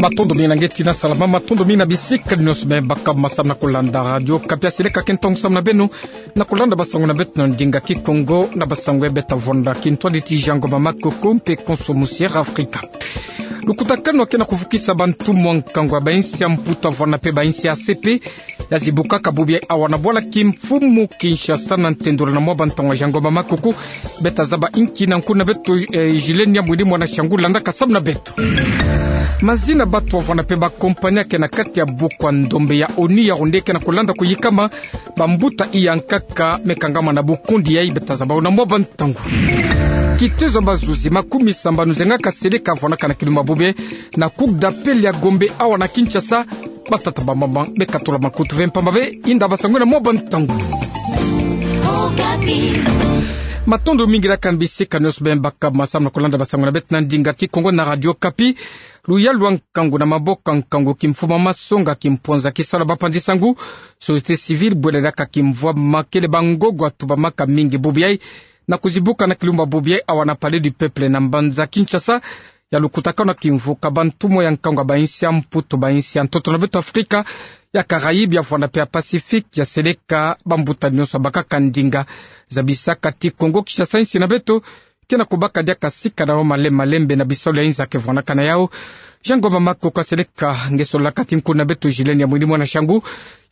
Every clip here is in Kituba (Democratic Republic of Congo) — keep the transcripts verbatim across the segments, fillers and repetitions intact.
Matondo mingi na nge tina salama, matondo mingi na bisika nyonso me baka ma samu na kulanda Radio Okapi. Seleka ke ntangu samu na beno na kulanda basango na beto na ndinga Kikongo, na basango ya beto vwanda kintwadi ti Jean Ngoma Makoko mpe Konso Musiere Afrika. Lukutakanu ya ke na kuvukisa bantumwa nkangu ya bainsi ya Mputu, Mvwama mpe bainsi ya ACP ya zibukaka bubi awa na bwala kimfumu Kinshasa na ntendolo na mwa bantangu. Jean Ngoma Makoko, beto zaba inki na nkuna beto, eh, Julienne Mwini Mwana Shangu, landaka samu na beto. Mazina batu, Mvwama mpe bakompani ya ke na kati ya buku ya ndombe ya ONU ya onde ke na kulanda kuyikama, bambuta iya nkaka me kangama na bukundi yayi, beto zaba yo na mwa bantangu. Kitezo ya bazuzi makumi sambanu zengaka seleka vwanaka na kilumbu bubi na Cour d'appel ya Gombe awa na Kinshasa, batata, bamama, me katula makutu ve mpamba ve, inda basango na mwa bantangu. Matondo mingi na kani bisika nyonso me baka ma samu na kulanda basango na beto na ndinga Kikongo na Radio Okapi. Luyalu ya nkangu na maboko ya nkangu, kimfumu, masonga, kimpwanza, kisalu ya bapanzi-nsangu, société civile, bwela diaka kimvwama, kele bangogo ya tubamaka mingi bubi yayi na kuzibuka na kilumbu bubi yayi awa na Palais du Peuple na mbanza Kinshasa, ya lukutakanu ya kimvuka bantumwa ya nkangu ya bainsi ya Mputu, bainsi ya ntoto na beto Afrika, ya Caraïbes, ya Mvwama mpe ya Pacifique, ya seleka bambuta nyonso ya bakaka ndinga. Zabisaka ti Kongo Kinshasa, insi na beto, ke na kubaka diaka sika na yo malembe-malembe na bisalu ya inza ke vwanaka na yau. Jean Ngoma Makoko, seleka nge sololaka ti nkuna beto Julienne Mwini Mwana Shangu,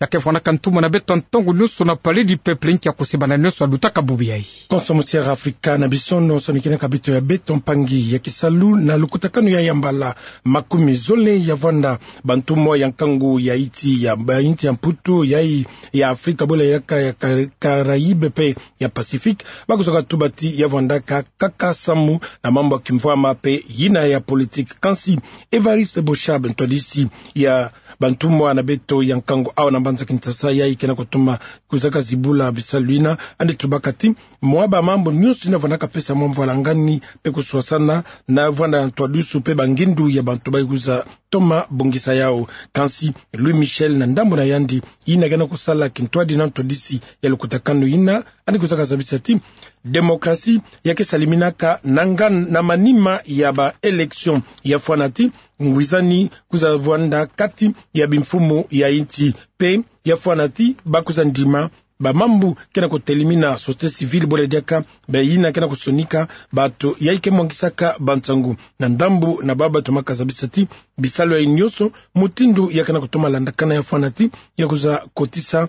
ya ke vwanaka ntumwa na beto ntangu nyonso na Palais du Peuple, nki ya kusimbana nyonso ya lutaka bubi yayi. Konso Musiere Afrika, na bisono sonikina ka beto ya beto mpangi ya kisalu na lukutakanu yayi ya mbala makumi zole ya vwanda bantumwa ya nkangu ya insi ya, ba insi ya Mputu, yayi ya Afrika, bwela diaka ya Ka-, Caraïbes mpe ya Pacifique, bakuzaka tuba ti ya vwandaka kaka samu na mambu ya kimvwama mpe yina ya politique. Kansi Évariste Boshab, ntwadisi ya bantumwa na beto ya nkangu awa na mbanza Kinshasa, yayi ke na kutoma kuzaka zibula bisalu yina, yandi tubaka ti mwa bamambu nyonso yina vwanaka pesa mwa mvwalangani mpe kuswasana na vwanda ya ntwadisi mpe bangindu ya bantu bayi kuza toma bongisa yau. Kansi Louis Michel, na ndambu na yandi, yina ke na kusala kintwadi na ntwadisi ya lukutakanu yina, yandi kuzaka zabisa ti démocratie ya ke saliminaka na ngan-, na manima ya ba élections, ya fwana ti ngwizani kuza vwanda kati ya bimfumu ya insi, mpe ya fwana ti bakuza ndima bamambu ke na kutelimina société civile, bwela diaka bayina ke na kusonika bato yayi ke mwangisaka bansangu. Na ndambu na baba tomaka zabisa ti bisalu yayi nyonso, mutindu ya ke na kutoma landakana, ya fwana ti ya kuza kotisa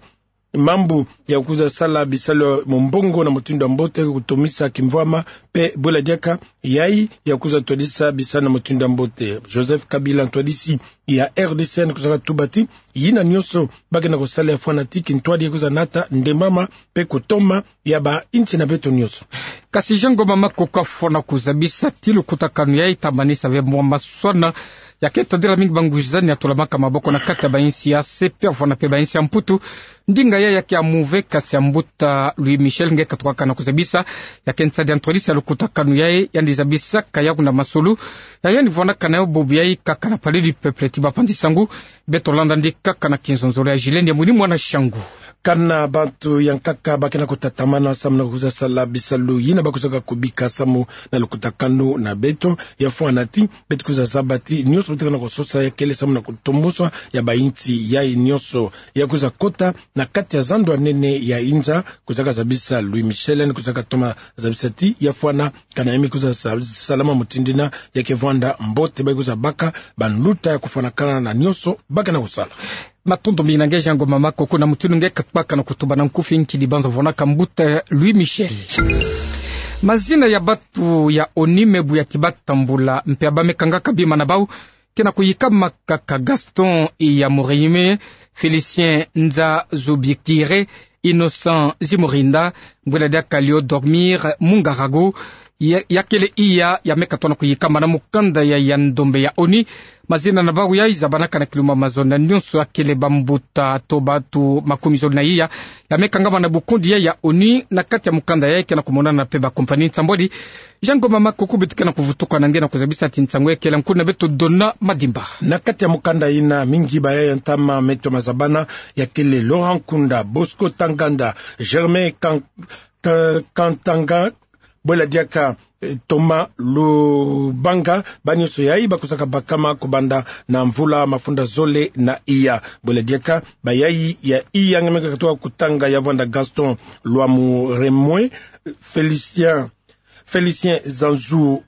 mambu ya kuza sala bisalu ya mumbongo na mutindu ya mbote, kutomisa kimvwama, mpe bwela diaka yayi ya kuza twadisa bisalu na mutindu ya mbote. Joseph Kabila, ntwadisi ya R D C, yandi kuzaka tuba ti yina nyonso ba ke na kusala ya fwana ti kintwadi ya kuza nata ndembama mpe kutoma ya ba insi na beto nyonso. Kasi Jean Ngoma Makoko, fwana kuzabisa ti lukutakanu yayi ta manisa ve mwa maswana ya ke tadila mingi bangwizani ya tulamaka maboko na kati ya ba insi ya ACP, ya fwana mpe ba insi ya Mputu. Ndinga yayi ya ke ya muve, kasi ya mbuta Louis Michel, nge katukaka na kuzabisa, ya ke nsadi ya ntwadisi ya lukutakanu yayi, yandi zabisaka yau na masolo ya yandi vwanaka na yo bubi yayi kaka na Palais du Peuple ti bapanzi-nsangu. Beto landa yandi kaka na kinzonzolo ya Julienne Mwini Mwana Shangu. Kana bantu ya nkaka ba ke na kutatamana samu na kuza sala bisalu yina bakuzaka kubika samu na lukutakanu na beto, ya fwana ti beto kuza zaba ti nyonso beto ke na kusosa ya kele samu na kutombosa ya ba insi yayi nyonso, ya kuza kota na kati ya zando ya nene ya inza, kuzaka zabisa Louis Michel, yandi kuzaka toma zabisa ti ya fwana kana ya me kuza sa-, salama mutindu yina, ya ke vwanda mbote bayi kuza baka banluta ya kufwanakana na nyonso ba ke na kusala. Matondo mingi na nge Jean Ngoma Makoko, na mutindu nge kabaka na kutuba na nkufi, nki dibanza vwanaka mbuta Louis Michel. Mazina ya batu ya ONU me buyaki batambula mpe ya ba me kangaka bima na bau ke na kuyikama kaka: Gaston Iyamuremye, Félicien Nzazobikirè, Innocent Zimurinda, bwela diaka Léo Dormir Mungarago, ya, ya kele iya ya me katoa na kuyikama na mukanda ya, ya ndombe ya ONU. Mazina na bau yayi zabanaka na kilumbu mazonza nyonso, ya kele bambuta to batu makumi zole na iya ya me kangama na bukundi ya, ya ONU, na kati ya mukanda yayi ke na kumonana mpe ba compagnie nsambwadi. Jean Ngoma Makoko, beto ke na kuvutuka na nge na kuzabisa ti nsangu ya kele nkuna beto Dona Madimba. Na kati ya mukanda yina, mingi ba yayi ya ntama me toma zabana, ya kele Laurent Nkunda, Bosco Ntaganda, Germain Kan-, Ka-, Kantanga, bwela diaka eh, Thomas Lubanga, bawu nyonso yayi bakozaka bakama kobanda na mvula mafunda zole na iya. Bwela diaka, bayayi ya iya nge me katoka kotanga ya vwanda Gaston Lwamuremwe, Félicien, Félicien Zanzu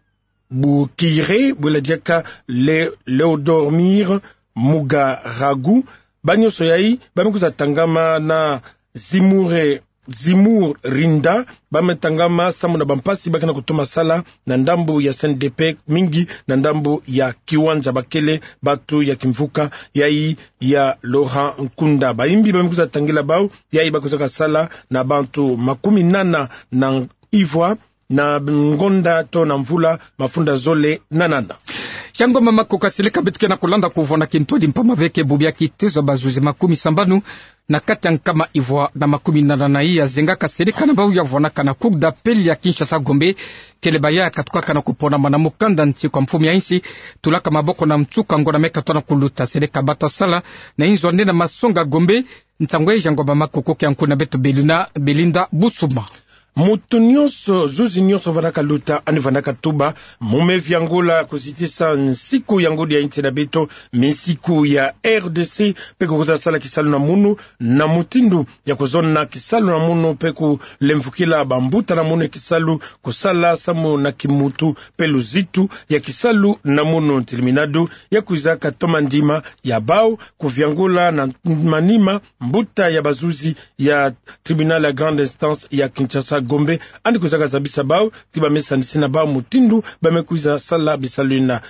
Bukire, bwela diaka Le-, Léodormir Mugaragu, bawu nyonso yayi, ba me kwiza tangama na Zimure, Zimur Rinda, ba me tangama samu na bampasi ba ke na kutoma sala na ndambu ya C N D P, mingi na ndambu ya kiwanja, bakele bantu ya kimvuka yayi ya Laurent Nkunda. Bayimbi ba me kwiza tangila bawu yayi bakozaka sala na bantu makumi nana na ivwa na ngonda to na mvula mafunda zole na nana. Tiango mama Makoko, seleka beto ke na kolanda kuvwanda kintwadi mpamba ve ke bubu ya kitezo ya bazuzi makumi sambanu na kati ya nkama ivwa na makumi nana na iya zengaka seleka na bawu ya vwandaka na Cour d'appel ya Kinshasa Gombe, kele baya katukaka na kuponama na mukanda nsi kwa mfumu ya insi tulaka maboko na nsuka ngonda me katoka na kuluta. Seleka bata sala na inzo nde na masonga Gombe. Nsangu ya Tiango mama Makoko ke ya nkuna beto Beluna Belinda Busuma. Mutu nyonso, zuzi nyonso vandaka luta, yandi vandaka tuba, mu me viangula kuzitisa nsiku ya ngudi ya insi na beto, minsiku ya R D C, mpe kukwiza sala kisalu na munu, na mutindu ya kuzona kisalu na munu, mpe kulemvukila bambuta na munu ya kisalu, kusala samu na kimuntu, mpe luzitu ya kisalu na munu. Ntiliminadu ya kwizaka toma ndima ya bawu kuviangula na manima, mbuta ya bazuzi ya tribunal ya grande instance ya Kinshasa Gombe, yandi kwizaka zabisa bawu ti ba me sanisina bawu mutindu ba me kwiza sala bisalu yina.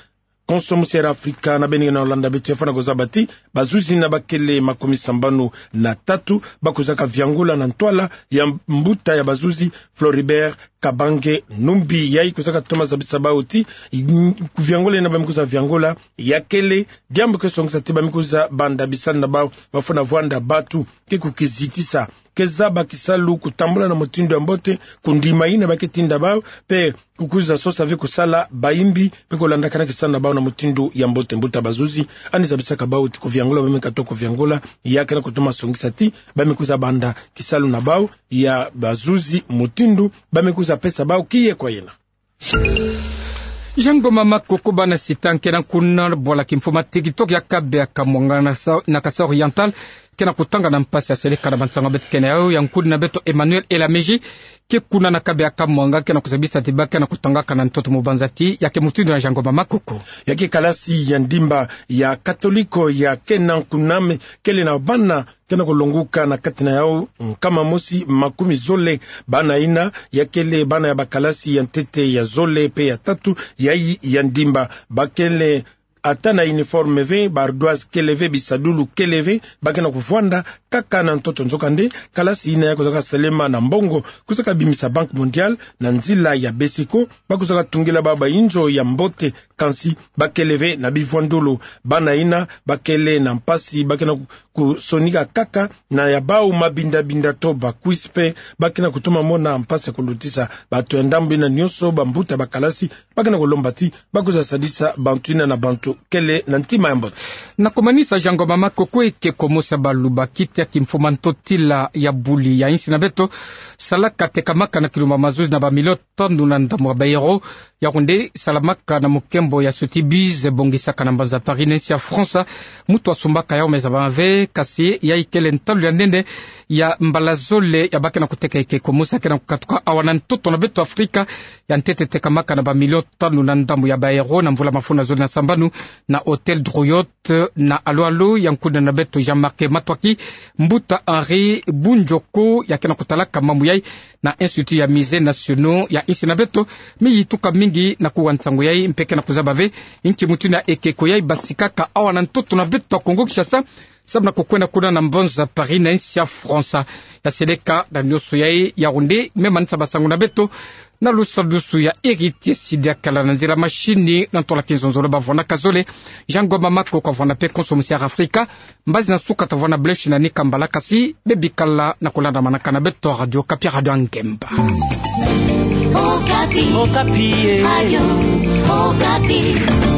Konso musi ya Afrika na beno na landa beto, ya fwana kuzaba ti bazuzi yina bakele makumi sambanu na tatu bakwizaka viangula na ntwala ya mbuta ya bazuzi Floribert Kabange Numbi. Yayi kwizaka toma zabisa bawu ti, mm, kuviangula yina ba me kwiza viangula ya kele diambu ke songisa ti ba me kwiza banda bisalu na bawu, ba fwana vwanda bantu ke kukizitisa, ke zaba kisalu kutambula na mutindu ya mbote, kundima yina ba ke tinda bawu, mpe kukwiza sosa ve kusala bayimbi, mpe kulandakana kisalu na bawu na mutindu ya mbote. Mbuta bazuzi yandi zabisaka bawu ti kuviangula ba me katoka kuviangula, ya ke na kutoma songisa ti ba me kwiza banda kisalu na bawu ya bazuzi mutindu ba me kwiza pesa bawu kiye kwa yena. Tiango mama Makoko, bana sita nke na nkuna bwala kimfumu ya TikTok ya Kabeya Kamwanga na Sa-, na Kasaï Oriental ke na kutanga na mpasi ya seleka na bansangu beto ke na yawu. Ya nkuna na beto Emmanuel Elameji ke kuna na Kabeya Kamwanga ke na kuzabisa ti ba ke na kutangaka na ntoto mu banza ti ya ke mutindu na Tiango mama Makoko. Ya ke kalasi ya ndimba ya Katoliko ya ke na nkuna me kele na bana ke na kulonguka na kati na yawu nkama mosi makumi zole. Bana yina ya kele bana ya bakalasi ya ntete, ya zole mpe ya tatu yayi ya ndimba. Ba kele ata na uniforme ve, ba ardoise kele ve, bisadulu kele ve, ba ke na kuvwanda kaka na ntoto. Nzokande, kalasi yina ya kwizaka salema na mbongo kwizaka bimisa Banque Mondiale na nzila ya BESECO, ba kwizaka tungila bawu ba inzo ya mbote, kansi ba kele ve na bivwandolo. Bana yina ba kele na mpasi, ba ke na ku-, kusonika kaka na ya bawu mabinda-binda to ba cuisse, mpe ba ke na kutoma mona mpasi ya kulutisa. Bantu ya ndambu yina nyonso, bambuta bakalasi, ba ke na kulomba ti ba kwiza sadisa bantu yina na bantu kele na ntima ya mbote. Na kumanisa, Tiango mama Makoko, ekeko mosi ya Baluba, kiti ya kimfumu ya ntotila ya buli ya insi na beto, salaka, tekamaka na kilumba mazuzi na bamilio tanu na ndambu ya baeuro. Yau nde salamaka na mukembo ya Sotheby's, bongisaka na mbanza Paris na insi ya France. Mutu asumbaka yau me zabama ve, kasi yai kele ntalu ya nene ya mbala zole ya ba ke na kuteka ekeko mosi ya ke na kukatuka awa na ntoto na beto Afrika. Ya ntete tekamaka na bamilio tanu na ndambu ya baeuro na mvula mafunda zole na sambanu na Hôtel Drouot na Alo-Alo. Ya nkuna na beto Jean-Marc Matuaki, mbuta Henri Bunjoko, ya ke na kutalaka mambu yai na Institut ya Musées Nationaux ya insi na beto, me yituka mingi na kuwa nsangu yai, mpe ke na kuzaba ve inki mutu na ekeko yai basikaka awa na ntoto na beto ya Kongo Kinshasa, samu na kukwenda kuna na mbanza Paris na insi ya France. Ya seleka na nyonso yai, yau nde me manisa basangu na beto na lusadusu ya Héritier Sidiakala, na nzila mashini na ntola kinzonzolo bavwandaka zole, Jean Ngoma Makoko avwanda mpe konso musi ya Afrika. Mbazi na suka tavwanda Blaise na Nika Mbala, kasi bebikala na kulandamanaka na beto Radio Okapi, Radio ya Ngemba. Okapi. Okapi, eh. Radio Okapi.